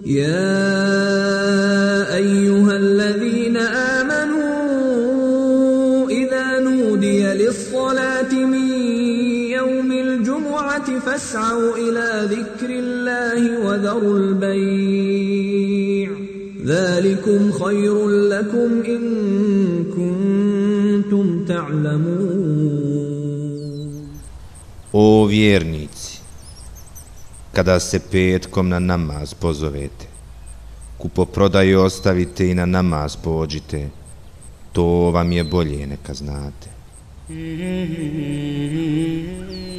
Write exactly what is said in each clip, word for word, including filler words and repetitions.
يا أيها الذين آمنوا إذا نودي للصلاة من يوم الجمعة فاسعوا إلى ذكر الله وذروا البيع ذلكم خير لكم إن كنتم تعلمون. O vjernici, kada se petkom na namaz pozovete, kupoprodaju ostavite i na namaz pođite, to vam je bolje neka znate.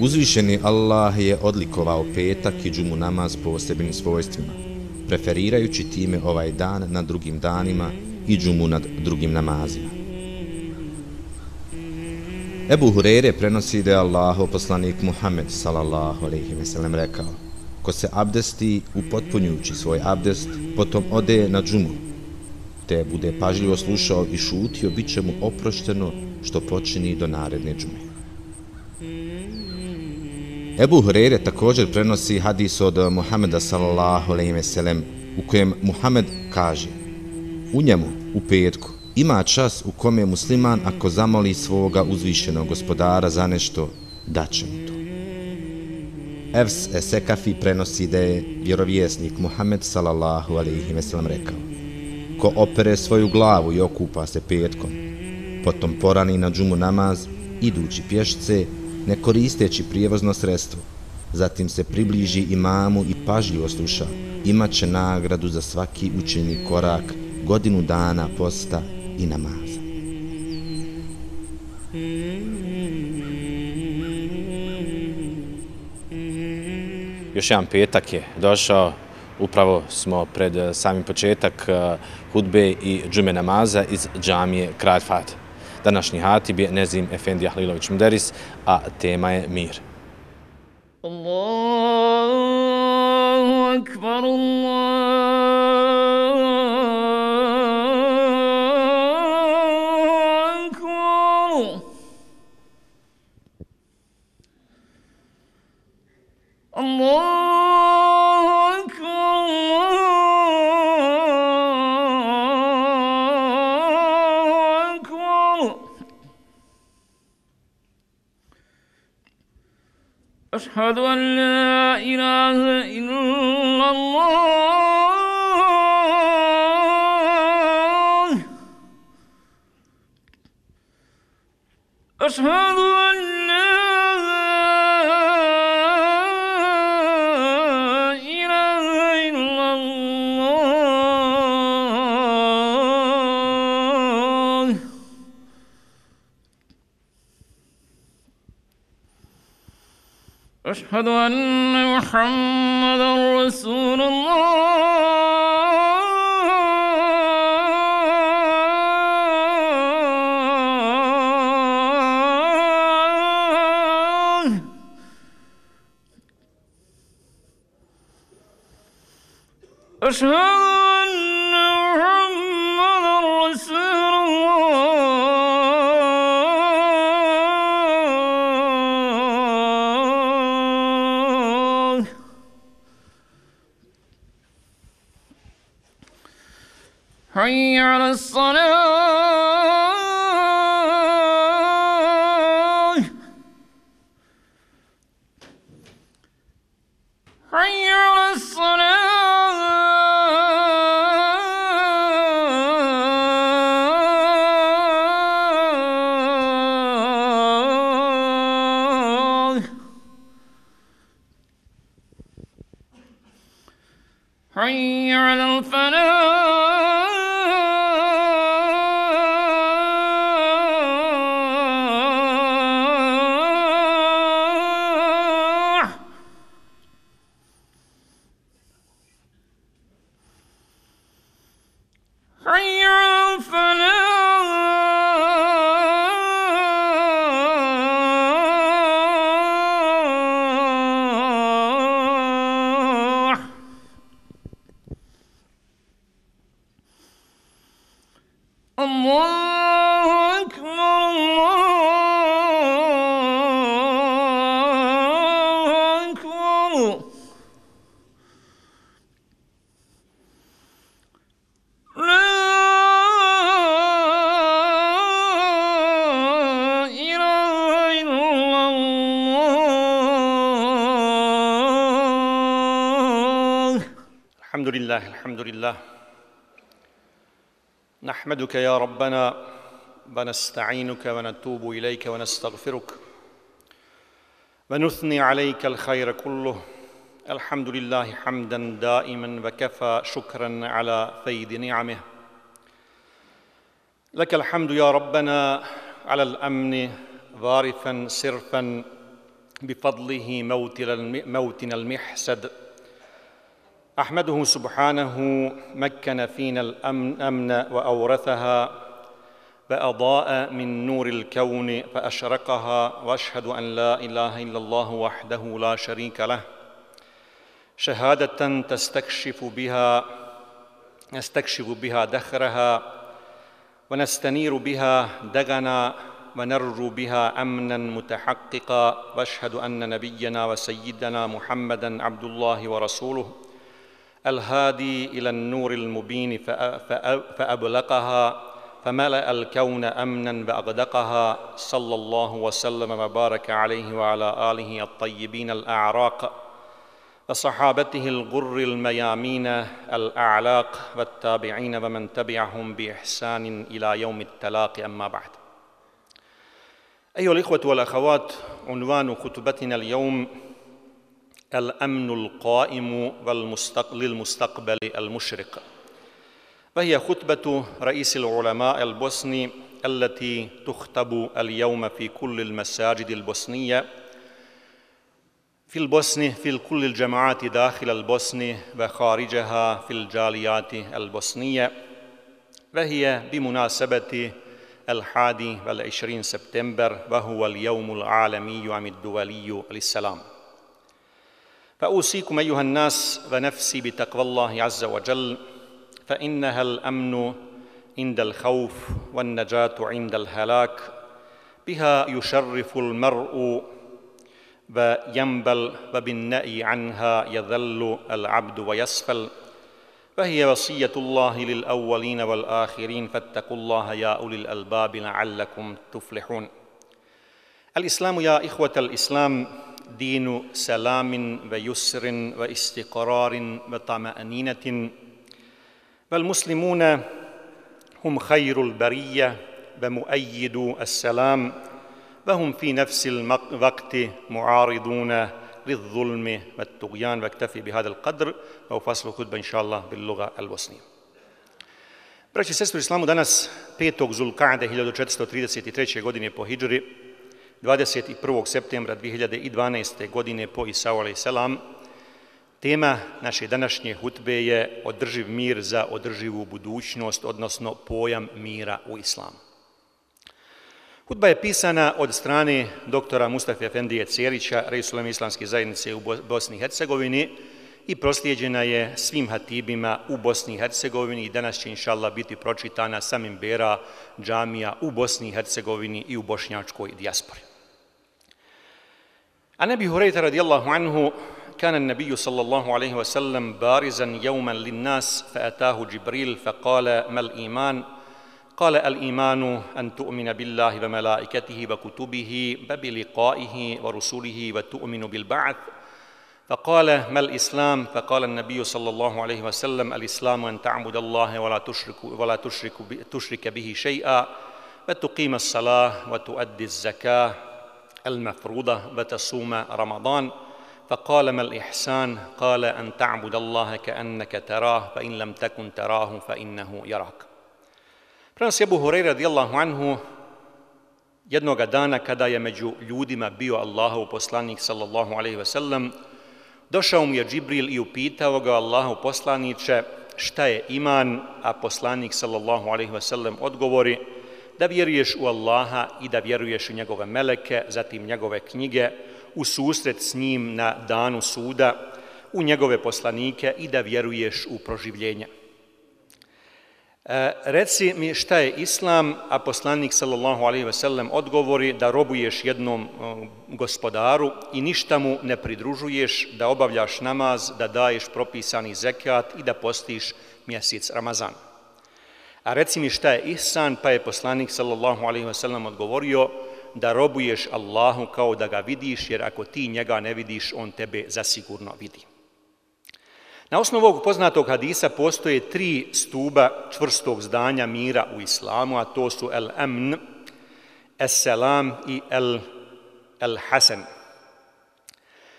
Uzvišeni Allah je odlikovao petak i džumu namaz posebnim svojstvima, preferirajući time ovaj dan nad drugim danima i džumu nad drugim namazima. Ebu Hureyre prenosi da je Allahov poslanik Muhammed sallallahu alejhi ve sellem rekao: ko se abdesti upotpunjujući svoj abdest, potom ode na džumu, te bude pažljivo slušao i šutio, bit će mu oprošteno što počini do naredne džume. Ebu Hureyre također prenosi hadis od Muhameda sallallahu alejhi ve sellem u kojem Muhammed kaže: u njemu, u petku, ima čas u kome musliman ako zamoli svoga uzvišenog gospodara za nešto, daće mu to. Efs Esekafi prenosi da je vjerovjesnik Muhammed sallallahu alejhi ve sellem rekao: ko opere svoju glavu i okupa se petkom, potom porani na džumu namaz, idući pješce, ne koristeći prijevozno sredstvo, zatim se približi imamu i pažljivo sluša, imat će nagradu za svaki učinjeni korak, godinu dana posta i namaza. Još jedan petak je došao, upravo smo pred samim početak hudbe i džume namaza iz džamije Kralj Fahd. Današnji hatib je Nezim Efendi Ahlilović Muderis, a tema je mir. Allahu akbar, Allahu akbar, Allahu akbar. أشهد أن لا إله إلا الله أشهد أن لا إله إلا الله أشهد أن محمدا رسول الله أشهد أن محمدا رسول الله حي على الصلاة حي على الصلاة حي على الفلاح حي على الفلاح الحمد لله الحمد لله نحمدك يا ربنا ونستعينك ونتوب إليك ونستغفرك ونثني عليك الخير كله الحمد لله حمدا دائما وكفى شكرا على فيض نعمه لك الحمد يا ربنا على الأمن وارثا صرفا بفضله موتنا المحسد أحمده سبحانه مكن فينا الأمن وأورثها وأضاء من نور الكون فأشرقها وأشهد أن لا إله إلا الله وحده لا شريك له شهادة تستكشف بها نستكشف بها دخرها ونستنير بها دغنا ونرجو بها أمنا متحققا وأشهد أن نبينا وسيدنا محمدا عبد الله ورسوله الهادي إلى النور المبين فأبلقها فملأ الكون أمنا وأغدقها صلى الله وسلم وبارك عليه وعلى آله الطيبين الأعراق وصحابته الغر الميامين الأعلاق والتابعين ومن تبعهم بإحسان إلى يوم التلاق أما بعد أيها الإخوة والأخوات عنوان خطبتنا اليوم الأمن القائم للمستقبل المشرق وهي خطبة رئيس العلماء البوسني التي تخطب اليوم في كل المساجد البوسنية في البوسنة في كل الجماعات داخل البوسنة وخارجها في الجاليات البوسنية وهي بمناسبة الحادي والعشرين سبتمبر وهو اليوم العالمي عام الدولي للسلام فأوصيكم أيها الناس ونفسي بتقوى الله عز وجل فإنها الأمن عند الخوف والنجاة عند الهلاك بها يشرف المرء وينبل وبالنأي عنها يذل العبد ويسفل فهي وصية الله للأولين والآخرين فاتقوا الله يا أولي الألباب لعلكم تفلحون الإسلام يا إخوة الإسلام دين سلام ويسر واستقرار وطمأنينة والمسلمون هم خير البرية ومؤيدو السلام وهم في نفس الوقت معارضون للظلم والطغيان واكتفي بهذا القدر وفصل الخطبة إن شاء الله باللغة البوسنية. Braći i sestre u islamu, danas petog Zulkade hiljadu četiristo trideset treće. godine po hidžri, dvadeset prvog septembra dvije hiljade dvanaeste. godine po Isau alejhi selam, tema naše današnje hutbe je održiv mir za održivu budućnost, odnosno pojam mira u islamu. Hutba je pisana od strane doktora Mustafe Efendije Cerića, reis uleme islamske zajednice u Bosni i Hercegovini i proslijeđena je svim hatibima u Bosni i Hercegovini i danas će inšallah biti pročitana sa minbera džamija u Bosni i Hercegovini i u bošnjačkoj dijaspori. An Ebi Hurejra radijallahu anhu كان النبي صلى الله عليه وسلم بارزا يوما للناس فأتاه جبريل فقال ما الإيمان؟ قال الإيمان أن تؤمن بالله وملائكته وكتبه وبلقائه ورسله وتؤمن بالبعث فقال ما الإسلام؟ فقال النبي صلى الله عليه وسلم الإسلام أن تعبد الله ولا تشرك ولا تشرك تشرك به شيئا وتقيم الصلاة وتؤدي الزكاة المفروضة وتصوم رمضان فقال ما الإحسان؟ قال أن تعبد الله كأنك تراه فإن لم تكن تراه فإنه يراك. Prenosi Ebu Hurejra radijallahu anhu, jednoga dana kada je među ljudima bio Allahov poslanik sallallahu alejhi ve sellem, došao mu je Džibril i upitao ga: Allahov poslaniče, šta je iman? A poslanik sallallahu alejhi ve sellem odgovori: da vjeruješ u Allaha i da vjeruješ u njegove meleke, zatim njegove knjige, u susret s njim na danu suda, u njegove poslanike i da vjeruješ u proživljenje. E, reci mi šta je islam, a poslanik sallallahu alejhi ve sellem odgovori da robuješ jednom o, gospodaru i ništa mu ne pridružuješ, da obavljaš namaz, da daješ propisani zekat i da postiš mjesec Ramazan. A reci mi šta je ihsan, pa je poslanik sallallahu alejhi ve sellem odgovorio da robuješ Allahu kao da ga vidiš, jer ako ti njega ne vidiš, on tebe zasigurno vidi. Na osnovu ovog poznatog hadisa postoje tri stuba čvrstog zdanja mira u islamu, a to su el-amn, es-selam i el-hasan.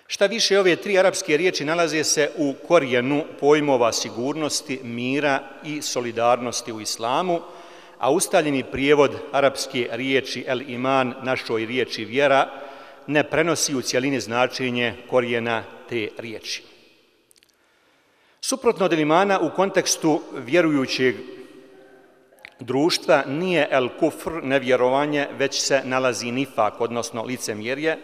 Šta više, ove tri arapske riječi nalaze se u korijenu pojmova sigurnosti, mira i solidarnosti u islamu, a ustaljeni prijevod arapske riječi el-iman, našoj riječi vjera, ne prenosi u cjelini značenje korijena te riječi. Suprotno od imana u kontekstu vjerujućeg društva nije el-kufr, nevjerovanje, već se nalazi nifak, odnosno licemjerje,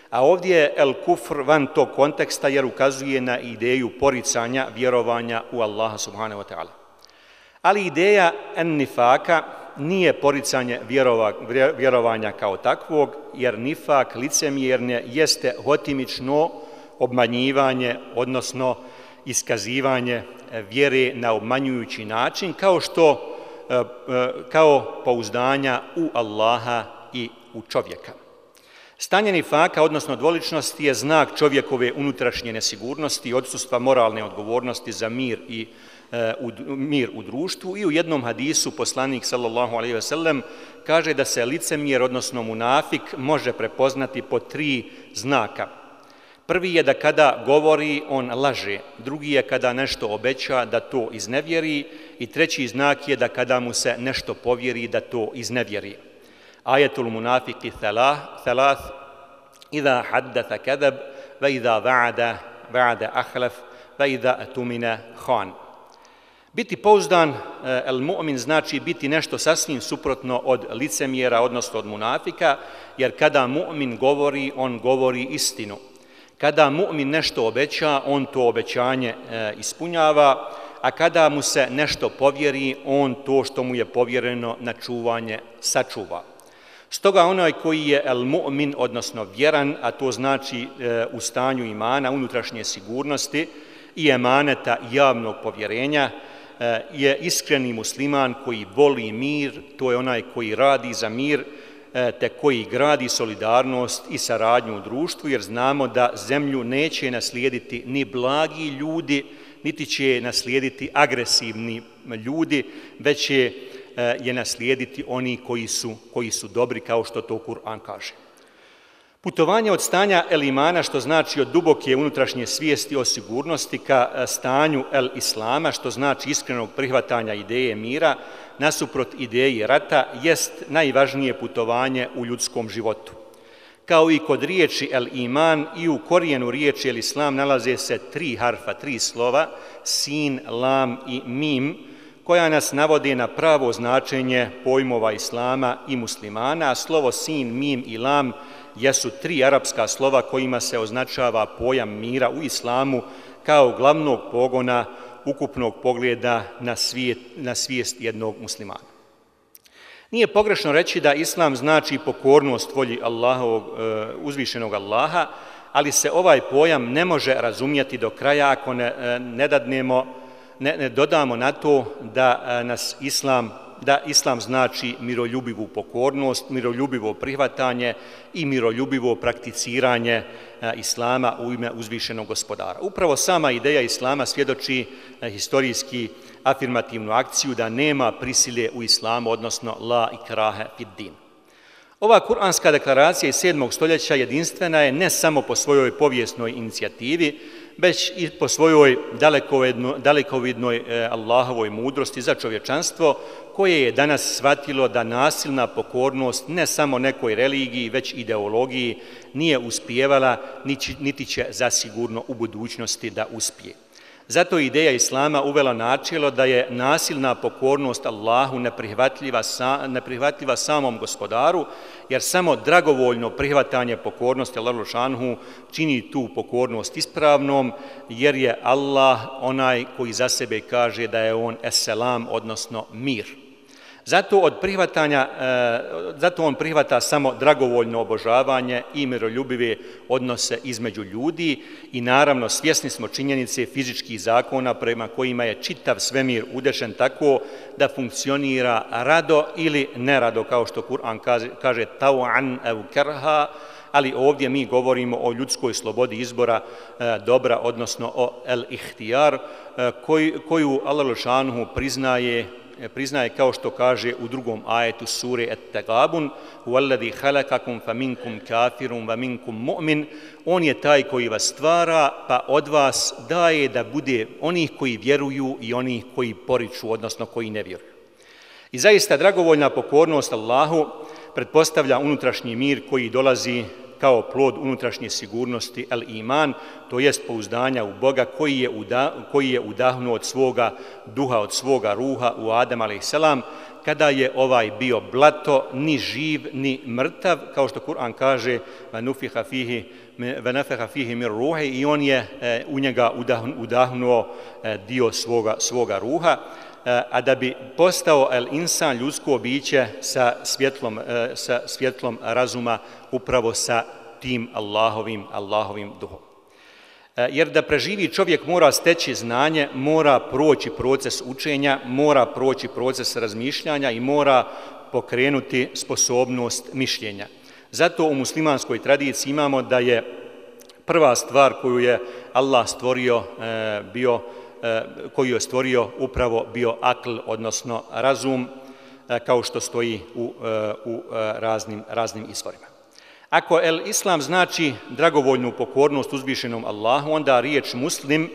a ovdje je el-kufr van tog konteksta jer ukazuje na ideju poricanja vjerovanja u Allaha subhanahu wa ta'ala. Ali ideja en-nifaka nije poricanje vjerova, vjerovanja kao takvog, jer nifak, licemjernje, jeste hotimično obmanjivanje, odnosno iskazivanje vjere na obmanjujući način, kao što kao pouzdanja u Allaha i u čovjeka. Stanje nifaka, odnosno dvoličnosti, je znak čovjekove unutrašnje nesigurnosti i odsustva moralne odgovornosti za mir i u, mir u društvu. I u jednom hadisu poslanik sallallahu alejhi ve sellem kaže da se licemjer, odnosno munafik, može prepoznati po tri znaka. Prvi je da kada govori, on laže. Drugi je kada nešto obeća, da to iznevjeri. I treći znak je da kada mu se nešto povjeri, da to iznevjeri. Ajetul munafiki thalath, idha haddatha kadab, va idha va'ada, va'ada ahlaf, va idha atumina khan. Biti pouzdan, el mu'min, znači biti nešto sasvim suprotno od licemjera, odnosno od munafika, jer kada mu'min govori, on govori istinu. Kada mu'min nešto obeća, on to obećanje e, ispunjava, a kada mu se nešto povjeri, on to što mu je povjereno na čuvanje sačuva. Stoga onaj koji je el mu'min, odnosno vjeran, a to znači e, u stanju imana, unutrašnje sigurnosti i emaneta javnog povjerenja, e, je iskreni musliman koji voli mir, to je onaj koji radi za mir, te koji gradi solidarnost i saradnju u društvu, jer znamo da zemlju neće naslijediti ni blagi ljudi, niti će naslijediti agresivni ljudi, već će je naslijediti oni koji su, koji su dobri, kao što to Kur'an kaže. Putovanje od stanja el-imana, što znači od duboke unutrašnje svijesti o sigurnosti, ka stanju el-islama, što znači iskrenog prihvatanja ideje mira, nasuprot ideji rata, jest najvažnije putovanje u ljudskom životu. Kao i kod riječi el-iman, i u korijenu riječi el-islam nalaze se tri harfa, tri slova, sin, lam i mim, koja nas navode na pravo značenje pojmova islama i muslimana, a slovo sin, mim i lam jesu tri arapska slova kojima se označava pojam mira u islamu kao glavnog pogona ukupnog pogleda na, svijet, na svijest jednog muslimana. Nije pogrešno reći da islam znači pokornost volji Allahovog, uzvišenog Allaha, ali se ovaj pojam ne može razumjeti do kraja ako ne, ne dadnemo, ne, ne dodamo na to da nas islam da islam znači miroljubivu pokornost, miroljubivo prihvatanje i miroljubivo prakticiranje islama u ime uzvišenog gospodara. Upravo sama ideja islama svjedoči historijski afirmativnu akciju da nema prisile u islamu, odnosno la ikrahe fid din. Ova kuranska deklaracija iz sedmog stoljeća jedinstvena je ne samo po svojoj povijesnoj inicijativi, već i po svojoj dalekovidnoj Allahovoj mudrosti za čovječanstvo, koje je danas shvatilo da nasilna pokornost ne samo nekoj religiji, već ideologiji nije uspijevala, niti će zasigurno u budućnosti da uspije. Zato ideja islama uvela načelo da je nasilna pokornost Allahu neprihvatljiva, neprihvatljiva samom gospodaru, jer samo dragovoljno prihvatanje pokornosti Allahu šanhu čini tu pokornost ispravnom, jer je Allah onaj koji za sebe kaže da je on es-selam, odnosno mir. Zato, od prihvatanja, zato on prihvata samo dragovoljno obožavanje i miroljubive odnose između ljudi i naravno svjesni smo činjenice fizičkih zakona prema kojima je čitav svemir udešen tako da funkcionira rado ili nerado, kao što Kur'an kaže, kaže tau'an ev kerha, ali ovdje mi govorimo o ljudskoj slobodi izbora e, dobra, odnosno o el-ihtijar, e, koju, koju Allah dželle priznaje priznaje kao što kaže u drugom ajetu sure At-Tagabun: "Huwallazi khalaqakum faminkum kafirun wa minkum mu'min." On je taj koji vas stvara, pa od vas daje da bude onih koji vjeruju i onih koji poriču, odnosno koji ne vjeruju. I zaista dragovoljna pokornost Allahu pretpostavlja unutrašnji mir koji dolazi kao plod unutrašnje sigurnosti el-iman, to jest pouzdanja u Boga koji je, uda, koji je udahnuo od svoga duha, od svoga ruha u Adem alejselam, kada je ovaj bio blato, ni živ, ni mrtav, kao što Kur'an kaže: "Vanufiha fihi vanafaha fihi min ruhi", i on je e, u njega udahnuo e, dio svoga, svoga ruha, a da bi postao el-insan, ljudsko biće sa svjetlom, sa svjetlom razuma, upravo sa tim Allahovim, Allahovim duhom. Jer da preživi čovjek mora steći znanje, mora proći proces učenja, mora proći proces razmišljanja i mora pokrenuti sposobnost mišljenja. Zato u muslimanskoj tradiciji imamo da je prva stvar koju je Allah stvorio bio koju je stvorio upravo bio akl, odnosno razum, kao što stoji u, u raznim, raznim izvorima. Ako el-islam znači dragovoljnu pokornost uzvišenom Allahu, onda riječ muslim,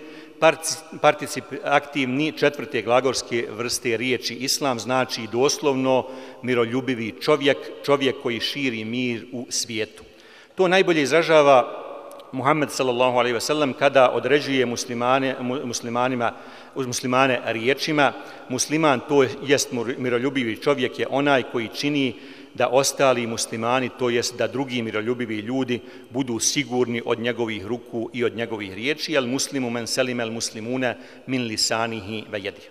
participativni četvrte glagolske vrste riječi islam, znači doslovno miroljubivi čovjek, čovjek koji širi mir u svijetu. To najbolje izražava Muhammed sallallahu alejhi ve sellem kada određuje muslimane, muslimanima, muslimane riječima: musliman, to jest miroljubivi čovjek, je onaj koji čini da ostali muslimani, to jest da drugi miroljubivi ljudi, budu sigurni od njegovih ruku i od njegovih riječi. El muslimu men selim el muslimune min lisanihi ve yedihi.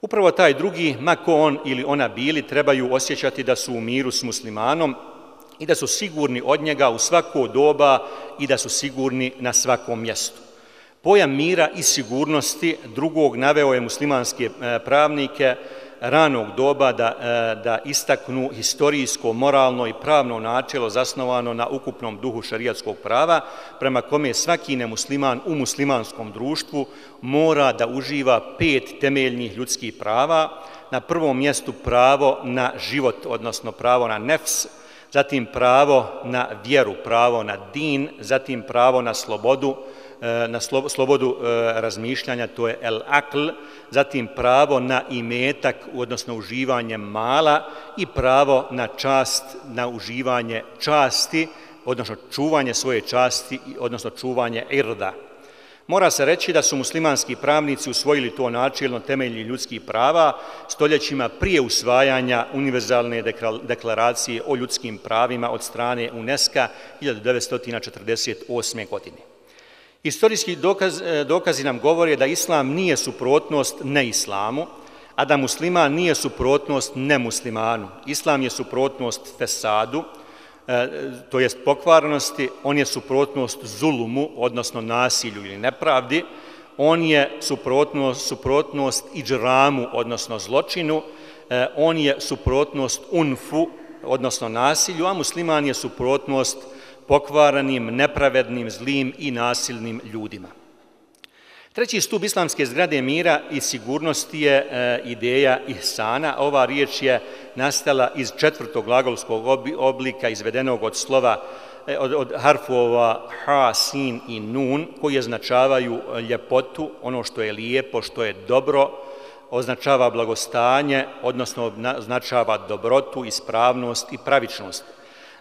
Upravo taj drugi, ma ko on ili ona bili, trebaju osjećati da su u miru s muslimanom i da su sigurni od njega u svako doba i da su sigurni na svakom mjestu. Pojam mira i sigurnosti drugog naveo je muslimanske pravnike ranog doba da, da istaknu historijsko, moralno i pravno načelo zasnovano na ukupnom duhu šerijatskog prava, prema kome svaki nemusliman u muslimanskom društvu mora da uživa pet temeljnih ljudskih prava. Na prvom mjestu pravo na život, odnosno pravo na nefs, zatim pravo na vjeru, pravo na din, zatim pravo na slobodu, na slobodu razmišljanja, to je el-akl, zatim pravo na imetak, odnosno uživanje mala, i pravo na čast, na uživanje časti, odnosno čuvanje svoje časti, odnosno čuvanje irda. Mora se reći da su muslimanski pravnici usvojili to načelno temelji ljudskih prava stoljećima prije usvajanja univerzalne deklaracije o ljudskim pravima od strane UNESCO hiljadu devetsto četrdeset osme. godine. Istorijski dokaz, dokazi nam govore da islam nije suprotnost neislamu, a da musliman nije suprotnost nemuslimanu. Islam je suprotnost fesadu, to jest pokvarnosti, on je suprotnost zulumu, odnosno nasilju ili nepravdi, on je suprotnost, suprotnost iđramu, odnosno zločinu, on je suprotnost unfu, odnosno nasilju, a musliman je suprotnost pokvaranim, nepravednim, zlim i nasilnim ljudima. Treći stup islamske zgrade mira i sigurnosti je e, ideja ihsana. Ova riječ je nastala iz četvrtog glagolskog oblika izvedenog od slova, e, od, od harfova ha, sin i nun, koji označavaju ljepotu, ono što je lijepo, što je dobro, označava blagostanje, odnosno označava dobrotu, ispravnost i pravičnost.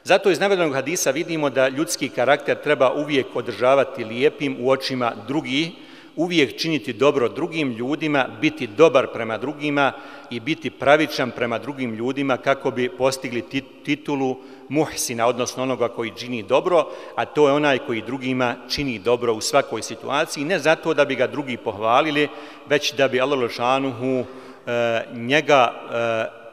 Zato iz navedenog hadisa vidimo da ljudski karakter treba uvijek održavati lijepim u očima drugih, uvijek činiti dobro drugim ljudima, biti dobar prema drugima i biti pravičan prema drugim ljudima kako bi postigli titulu muhsina, odnosno onoga koji čini dobro, a to je onaj koji drugima čini dobro u svakoj situaciji, ne zato da bi ga drugi pohvalili, već da bi Allah dželle njega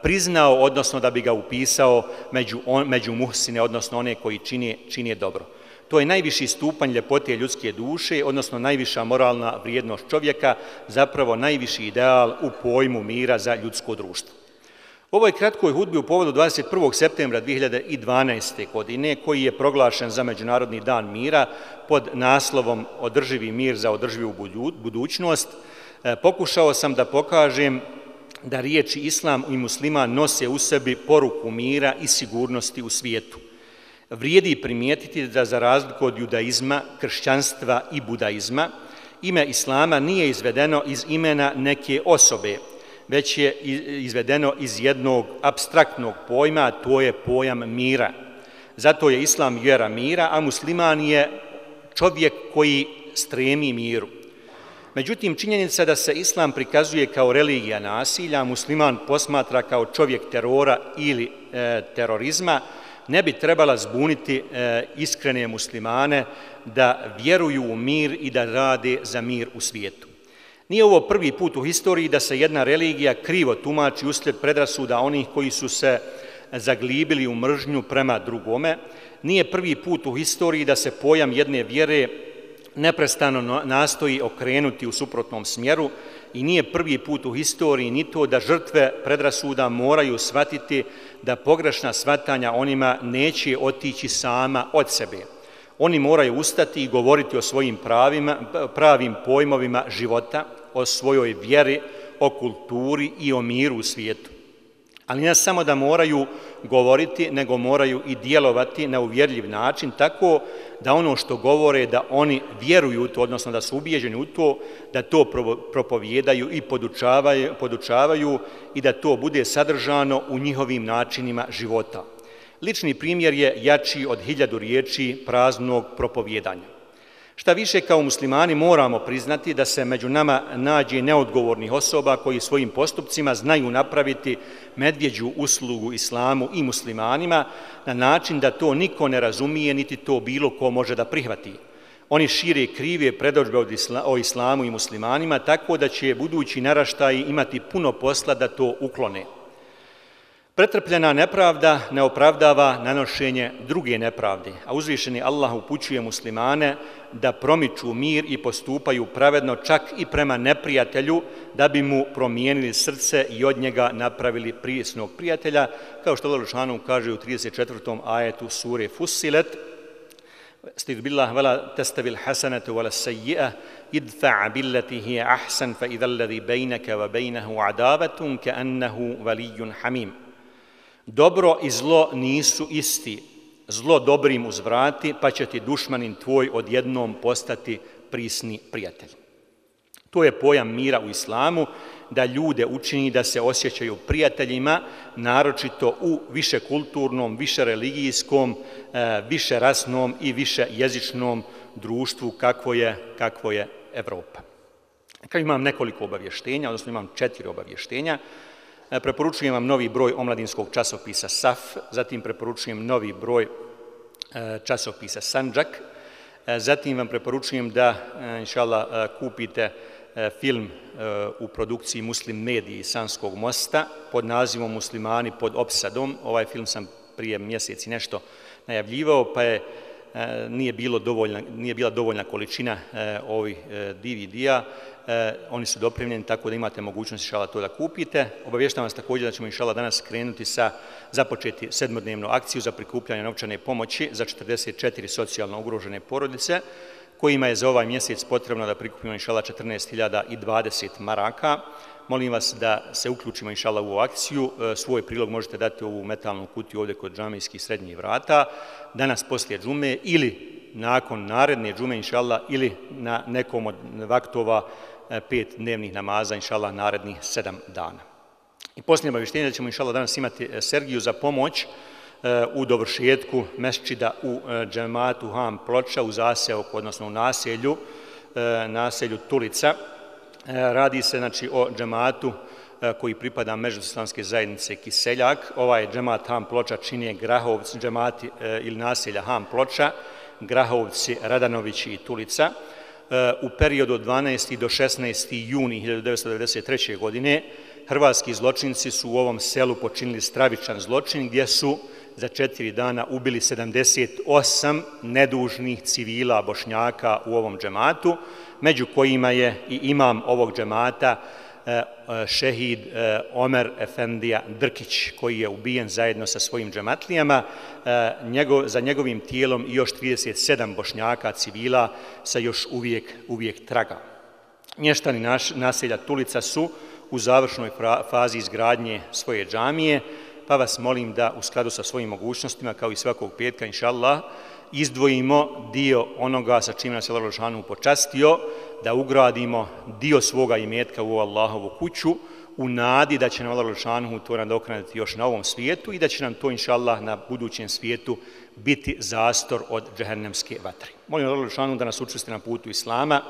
priznao, odnosno da bi ga upisao među, on, među muhsine, odnosno one koji čini, čini dobro. To je najviši stupanj ljepote ljudske duše, odnosno najviša moralna vrijednost čovjeka, zapravo najviši ideal u pojmu mira za ljudsko društvo. U ovoj kratkoj hudbi u povodu dvadeset prvog septembra dvije hiljade dvanaeste. godine, koji je proglašen za Međunarodni dan mira pod naslovom Održivi mir za održivu budućnost, pokušao sam da pokažem da riječi islam i musliman nose u sebi poruku mira i sigurnosti u svijetu. Vrijedi primijetiti da za razliku od judaizma, kršćanstva i budaizma, ime islama nije izvedeno iz imena neke osobe, već je izvedeno iz jednog apstraktnog pojma, a to je pojam mira. Zato je islam vjera mira, a musliman je čovjek koji stremi miru. Međutim, činjenica da se islam prikazuje kao religija nasilja, a musliman posmatra kao čovjek terora ili e, terorizma, ne bi trebala zbuniti e, iskrene muslimane da vjeruju u mir i da rade za mir u svijetu. Nije ovo prvi put u historiji da se jedna religija krivo tumači uslijed predrasuda onih koji su se zaglibili u mržnju prema drugome. Nije prvi put u historiji da se pojam jedne vjere neprestano nastoji okrenuti u suprotnom smjeru i nije prvi put u historiji ni to da žrtve predrasuda moraju shvatiti da pogrešna shvatanja onima neće otići sama od sebe. Oni moraju ustati i govoriti o svojim pravima, pravim pojmovima života, o svojoj vjeri, o kulturi i o miru u svijetu. Ali ne samo da moraju govoriti, nego moraju i djelovati na uvjerljiv način, tako da ono što govore, da oni vjeruju u to, odnosno da su ubijeđeni u to, da to propovijedaju i podučavaju, podučavaju i da to bude sadržano u njihovim načinima života. Lični primjer je jači od hiljadu riječi praznog propovijedanja. Šta više, kao muslimani moramo priznati da se među nama nađe neodgovornih osoba koji svojim postupcima znaju napraviti medvjeđu uslugu islamu i muslimanima na način da to niko ne razumije, niti to bilo ko može da prihvati. Oni šire krive predodžbe o islamu i muslimanima, tako da će budući naraštaji imati puno posla da to uklone. Pretrpljena nepravda ne opravdava nanošenje druge nepravde, a uzvišeni Allah upućuje muslimane da promiču mir i postupaju pravedno čak i prema neprijatelju, da bi mu promijenili srce i od njega napravili prijesnog prijatelja, kao što Allah dželešanu kaže u trideset četvrtom ajetu sure Fussilet: Stid billah wala tastavil hasanatu wala sayyi'a idfa' billati hiya ahsan fa idha alladhi baynaka wa baynahu adavatun ka'annahu waliyyun hamim. Dobro i zlo nisu isti. Zlo dobrim uzvrati, pa će ti dušmanin tvoj odjednom postati prisni prijatelj. To je pojam mira u islamu, da ljude učini da se osjećaju prijateljima, naročito u više kulturnom, više religijskom, više rasnom i više jezičnom društvu kakvo je, kakvo je Evropa. Kad imam nekoliko obavještenja, odnosno imam četiri obavještenja, preporučujem vam novi broj omladinskog časopisa Saf, zatim preporučujem novi broj časopisa Sandžak, zatim vam preporučujem da, inšallah, kupite film u produkciji Muslim Mediji Sanskog mosta pod nazivom Muslimani pod opsadom. Ovaj film sam prije mjeseci nešto najavljivao, pa je nije, bilo dovoljna, nije bila dovoljna količina ovih D V D-a. Oni su dopremljeni, tako da imate mogućnost inšallah to da kupite. Obavještavam vas također da ćemo inšallah danas krenuti sa započeti sedmodnevnu akciju za prikupljanje novčane pomoći za četrdeset četiri socijalno ugrožene porodice, kojima je za ovaj mjesec potrebno da prikupimo inšallah četrnaest hiljada dvadeset maraka. Molim vas da se uključimo inšallah u ovu akciju. Svoj prilog možete dati u ovu metalnu kutiju ovdje kod džamijskih srednjih vrata, danas poslije džume ili nakon naredne džume inšallah, ili na nekom od vaktova pet dnevnih namaza inšallah narednih sedam dana. I posljednje obavještenje da ćemo inšallah danas imati Sergiju za pomoć u dovršetku mesdžida u džematu Ham Ploča u zaseoku, odnosno u naselju, naselju Tulica. Radi se znači o džematu koji pripada Međuislamske zajednice Kiseljak. Ovaj džemat Ham Ploča čine Grahovci, džemati ili naselja Ham Ploča, Grahovci, Radanovići i Tulica. U periodu od dvanaesti do šesnaesti juni hiljadu devetsto devedeset treće. godine hrvatski zločinci su u ovom selu počinili stravičan zločin gdje su za četiri dana ubili sedamdeset osam nedužnih civila Bošnjaka u ovom džematu, među kojima je i imam ovog džemata šehid Omer Efendija Drkić, koji je ubijen zajedno sa svojim džematlijama. Njegov, za njegovim tijelom i još trideset sedam Bošnjaka civila sa još uvijek, uvijek traga. Mještani naš, naselja Tulica su u završnoj fazi izgradnje svoje džamije, pa vas molim da u skladu sa svojim mogućnostima, kao i svakog petka, inša Allah, izdvojimo dio onoga sa čim nas je Allah dželešanu počastio, da ugradimo dio svoga imetka u Allahovu kuću, u nadi da će nam Allah dželešanu to nadoknaditi još na ovom svijetu i da će nam to, inša Allah, na budućem svijetu biti zastor od džehennemske vatre. Molim Allah dželešanu da nas učvrsti na putu Islama,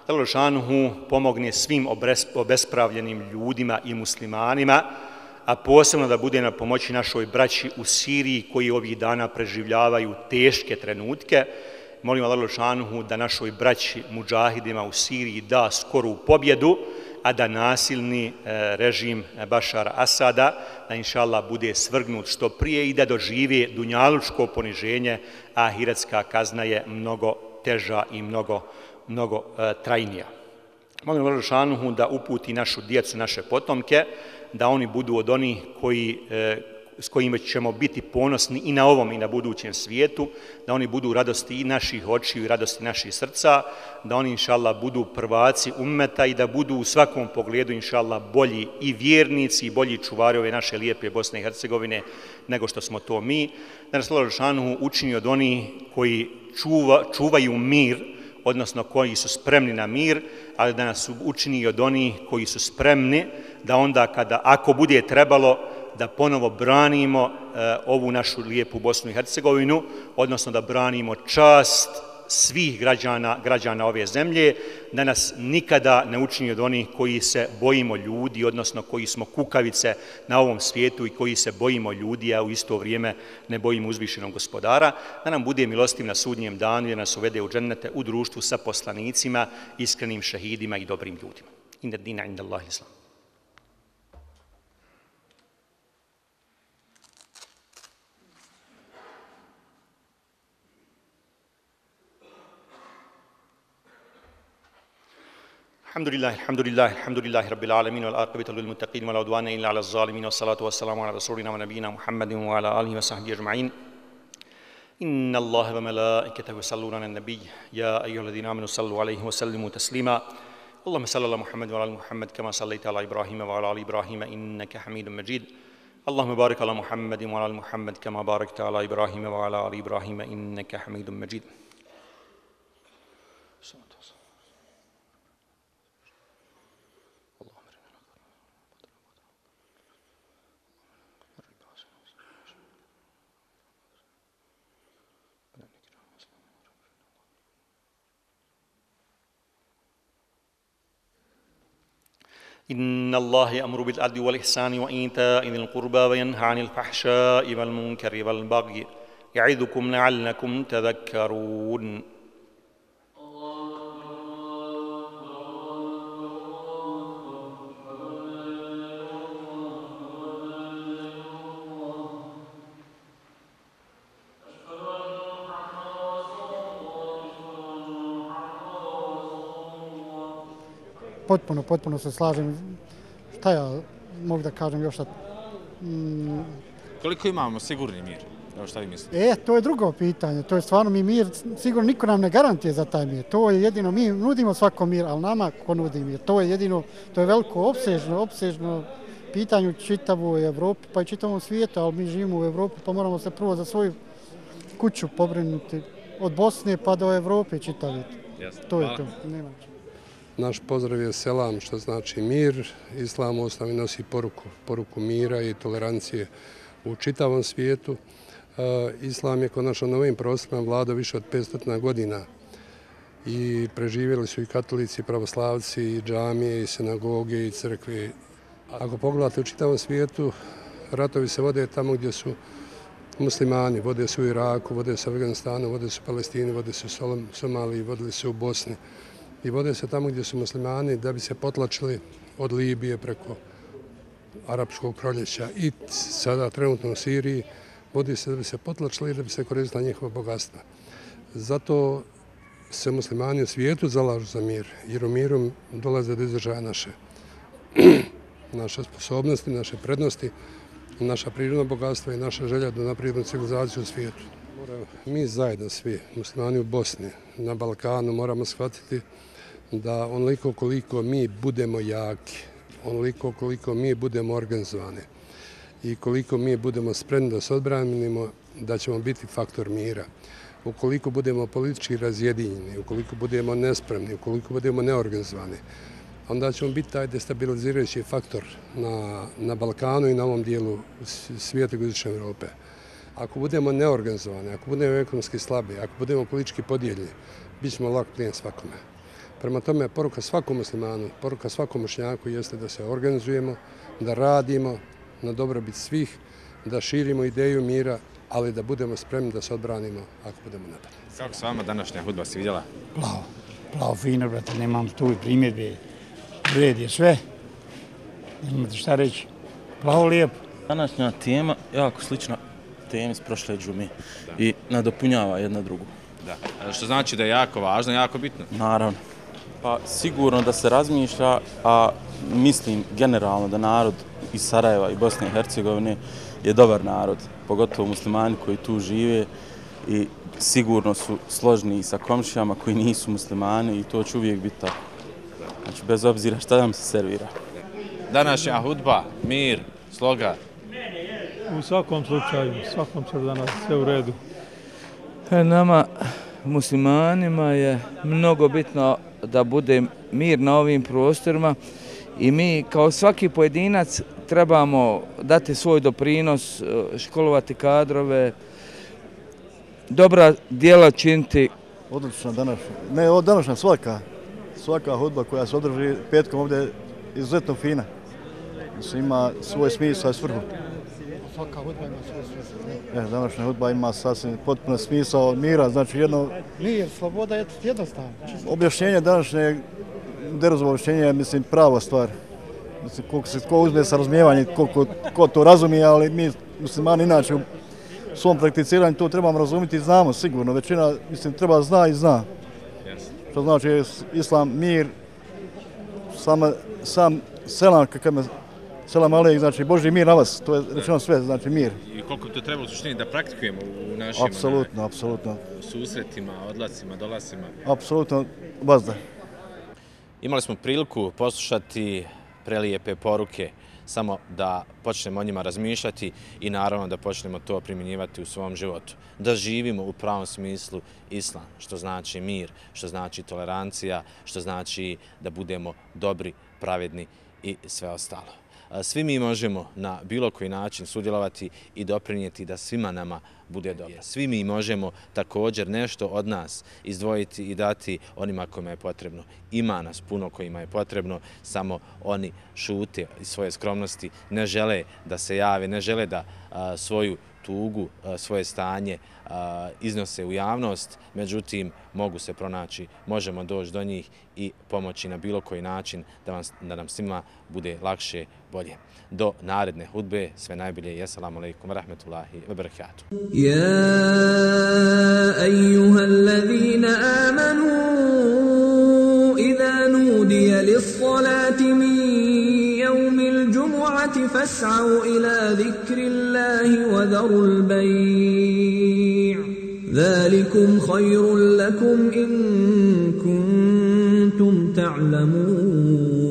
da Allah dželešanu pomogne svim obespravljenim ljudima i muslimanima, a posebno da bude na pomoći našoj braći u Siriji koji ovih dana preživljavaju teške trenutke. Molim Allah dželešanu da našoj braći mudžahidima u Siriji da skoru pobjedu, a da nasilni režim Bašara Asada, da inša Allah bude svrgnut što prije i da doživi dunjalučko poniženje, a ahiretska kazna je mnogo teža i mnogo, mnogo trajnija. Molim Allah dželešanu da uputi našu djecu, naše potomke, da oni budu od onih koji, s kojima ćemo biti ponosni i na ovom i na budućem svijetu, da oni budu radosti i naših očiju i radosti naših srca, da oni, inša Allah, budu prvaci ummeta i da budu u svakom pogledu, inša Allah, bolji i vjernici i bolji čuvari ove naše lijepe Bosne i Hercegovine nego što smo to mi. Da nas Allah dželešanu učini od onih koji čuva, čuvaju mir, odnosno koji su spremni na mir, ali da nas učini od onih koji su spremni da onda kada, ako bude trebalo, da ponovo branimo e, ovu našu lijepu Bosnu i Hercegovinu, odnosno da branimo čast svih građana, građana ove zemlje, da nas nikada ne učini od onih koji se bojimo ljudi, odnosno koji smo kukavice na ovom svijetu i koji se bojimo ljudi, a u isto vrijeme ne bojimo uzvišenog gospodara, da nam bude milostiv na sudnjem danu i da nas uvede u džennete u društvu sa poslanicima, iskrenim šehidima i dobrim ljudima. Inna dina inda Allahi islam. الحمد لله الحمد لله الحمد لله رب العالمين والعاقبة للمتقين ولا عدوان إلا على الظالمين والصلاة والسلام على رسولنا ونبينا محمد وعلى آله وصحبه أجمعين. إن الله وملائكته يصلون على النبي يا أيها الذين آمنوا صلوا عليه وسلموا تسليما. اللهم صل على محمد وعلى آل محمد كما صليت على إبراهيم وعلى آل إبراهيم إنك حميد مجيد. اللهم بارك على محمد وعلى آل محمد كما باركت على إبراهيم وعلى آل إبراهيم إنك حميد مجيد. إن الله يأمر بالعدل والإحسان وإيتاء ذي القربى وينهى عن الفحشاء والمنكر والبغي يعظكم لعلكم تذكرون. Potpuno, potpuno se slažem. Šta ja mogu da kažem još sad? Mm. Koliko imamo sigurni mir? Evo šta vi mislite? E, to je drugo pitanje. To je stvarno mi mir, sigurno niko nam ne garantije za taj mir. To je jedino, mi nudimo svako mir, ali nama ko nudi mir. To je jedino, to je veliko opsežno, opsežno pitanje u čitavoj Evropi, pa i čitavom svijetu, ali mi živimo u Evropi, pa moramo se prvo za svoju kuću pobrinuti. Od Bosne pa do Evrope čitaviti. To je to. Nema. Naš pozdrav je selam, što znači mir. Islam u osnovi nosi poruku, poruku mira i tolerancije u čitavom svijetu. Islam je konačno na ovim prostorima vladao više od petsto godina i preživjeli su i katolici, i pravoslavci, i džamije, i sinagoge, i crkve. Ako pogledate u čitavom svijetu, ratovi se vode tamo gdje su muslimani, vode se u Iraku, vode se u Afganistanu, vode se u Palestini, vode se u Somaliji, vodili se u Bosni. I vode se tamo gdje su muslimani da bi se potlačili od Libije preko Arapskog proljeća i sada trenutno u Siriji vodi se da bi se potlačili i da bi se koristila njihova bogatstva. Zato se muslimani u svijetu zalažu za mir, jer u miru dolaze do izražaja naše naše sposobnosti, naše prednosti, naša prirodna bogatstva i naša želja da naprijedimo civilizaciju u svijetu. Mi zajedno svi, muslimani u Bosni, na Balkanu, moramo shvatiti da onoliko koliko mi budemo jaki, onoliko koliko mi budemo organizovani i koliko mi budemo spremni da se odbranimo, da ćemo biti faktor mira. Ukoliko budemo politički razjedinjeni, ukoliko budemo nespremni, ukoliko budemo neorganizovani, onda ćemo biti taj destabilizirajući faktor na, na Balkanu i na ovom dijelu svijeta jugoistočne Europe. Ako budemo neorganizovani, ako budemo ekonomski slabi, ako budemo politički podijeljeni, bit ćemo lak plijen svakome. Prema tome, poruka svakom muslimanu, poruka svakom Bošnjaku jeste da se organizujemo, da radimo na dobrobit svih, da širimo ideju mira, ali da budemo spremni da se odbranimo ako budemo napadni. Kako s vama današnja hudba si vidjela? Plavo, plavo, fino, brate, nemam tu i primjedbe. Red je sve, nemate šta reći. Plavo, lijepo. Današnja tema jako slična temi s prošle džume i nadopunjava jedna drugu. Da. Što znači da je jako važno, jako bitno? Naravno. Pa sigurno da se razmišlja, a mislim generalno da narod iz Sarajeva i Bosne i Hercegovine je dobar narod, pogotovo muslimani koji tu žive i sigurno su složni i sa komšijama koji nisu muslimani i to će uvijek biti tako. Znači, bez obzira šta nam se servira. Današnja hudba, mir, sloga. U svakom slučaju, u svakom slučaju danas sve u redu. Nama, muslimanima, je mnogo bitno da bude mir na ovim prostorima i mi kao svaki pojedinac trebamo dati svoj doprinos, školovati kadrove, dobra djela činiti. Odlično današnja, ne ovo današnja svaka, svaka hudba koja se održi petkom ovdje je izuzetno fina. Mislim, ima svoj smisao i svrhu. Svaka hudba ima svoj smisao. E, današnja hudba ima sasvim potpuno smisao mira, znači jedno... Mir, sloboda je jednostavno. Objašnjenje današnje, Deruzovo objašnjenje je, mislim, prava stvar. Mislim, koliko se ko uzme sa razumijevanjem, koliko ko to razumije, ali mi muslimani inače u svom prakticiranju to trebamo razumjeti i znamo sigurno. Većina, mislim, treba zna i zna. Što znači islam, mir, sam, sam selam, kakav me selam alejk, znači Božji mir na vas, to je rečeno sve, znači mir. I koliko to treba u suštini da praktikujemo u našim apsolutno, apsolutno. susretima, odlascima, dolasima? Apsolutno, bazda. Imali smo priliku poslušati prelijepe poruke, samo da počnemo o njima razmišljati i naravno da počnemo to primjenjivati u svom životu. Da živimo u pravom smislu islam, što znači mir, što znači tolerancija, što znači da budemo dobri, pravedni i sve ostalo. Svi mi možemo na bilo koji način sudjelovati i doprinijeti da svima nama bude dobro. Svi mi možemo također nešto od nas izdvojiti i dati onima kojima je potrebno. Ima nas puno kojima je potrebno, samo oni šute iz svoje skromnosti, ne žele da se jave, ne žele da a, svoju tugu, a, svoje stanje a, iznose u javnost, međutim mogu se pronaći, možemo doći do njih i pomoći na bilo koji način da, vam, da nam svima bude lakše, bolje. Do naredne hudbe, sve najbolje i assalamu alaikum wa rahmetullahi wa barakatuh. Ja, ejuha allazina amanu, idha nudiya lis-salati min yawmil džumu'ati fas'au ila zikrillahi wa dharul bay'. ذلكم خير لكم إن كنتم تعلمون.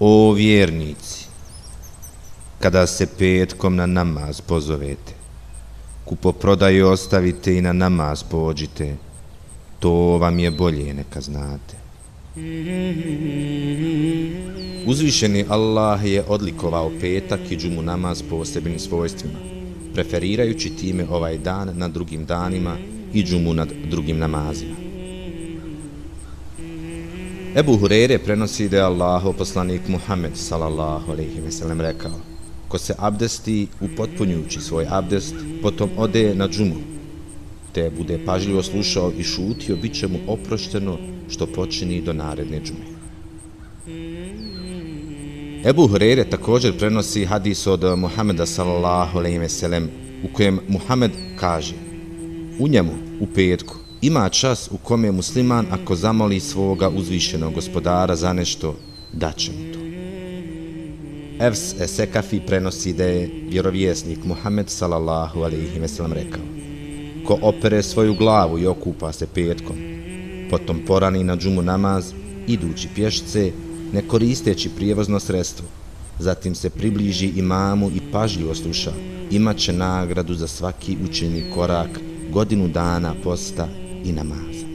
O vjernici, kada se petkom na namaz pozovete, kupoprodaju ostavite i na namaz pođite, to vam je bolje neka znate. Uzvišeni Allah je odlikovao petak i džumu namaz posebnim svojstvima, preferirajući time ovaj dan nad drugim danima i džumu nad drugim namazima. Ebu Hureyre prenosi da je Allahov poslanik Muhammed sallallahu alejhi ve sellem rekao: ko se abdesti upotpunjujući svoj abdest, potom ode na džumu, te bude pažljivo slušao i šutio, bit će mu oprošteno što počini do naredne džume. Ebu Hureyre također prenosi hadis od Muhameda sallallahu alejhi ve sellem u kojem Muhammed kaže: u njemu, u petku, ima čas u kome musliman ako zamoli svoga uzvišenog gospodara za nešto, daće mu to. Evs Esekafi prenosi da je vjerovjesnik Muhammed sallallahu alejhi ve sellem rekao: ko opere svoju glavu i okupa se petkom, potom porani na džumu namaz, idući pješce, ne koristeći prijevozno sredstvo, zatim se približi imamu i pažljivo sluša, imat će nagradu za svaki učeni korak, godinu dana posta i namaza.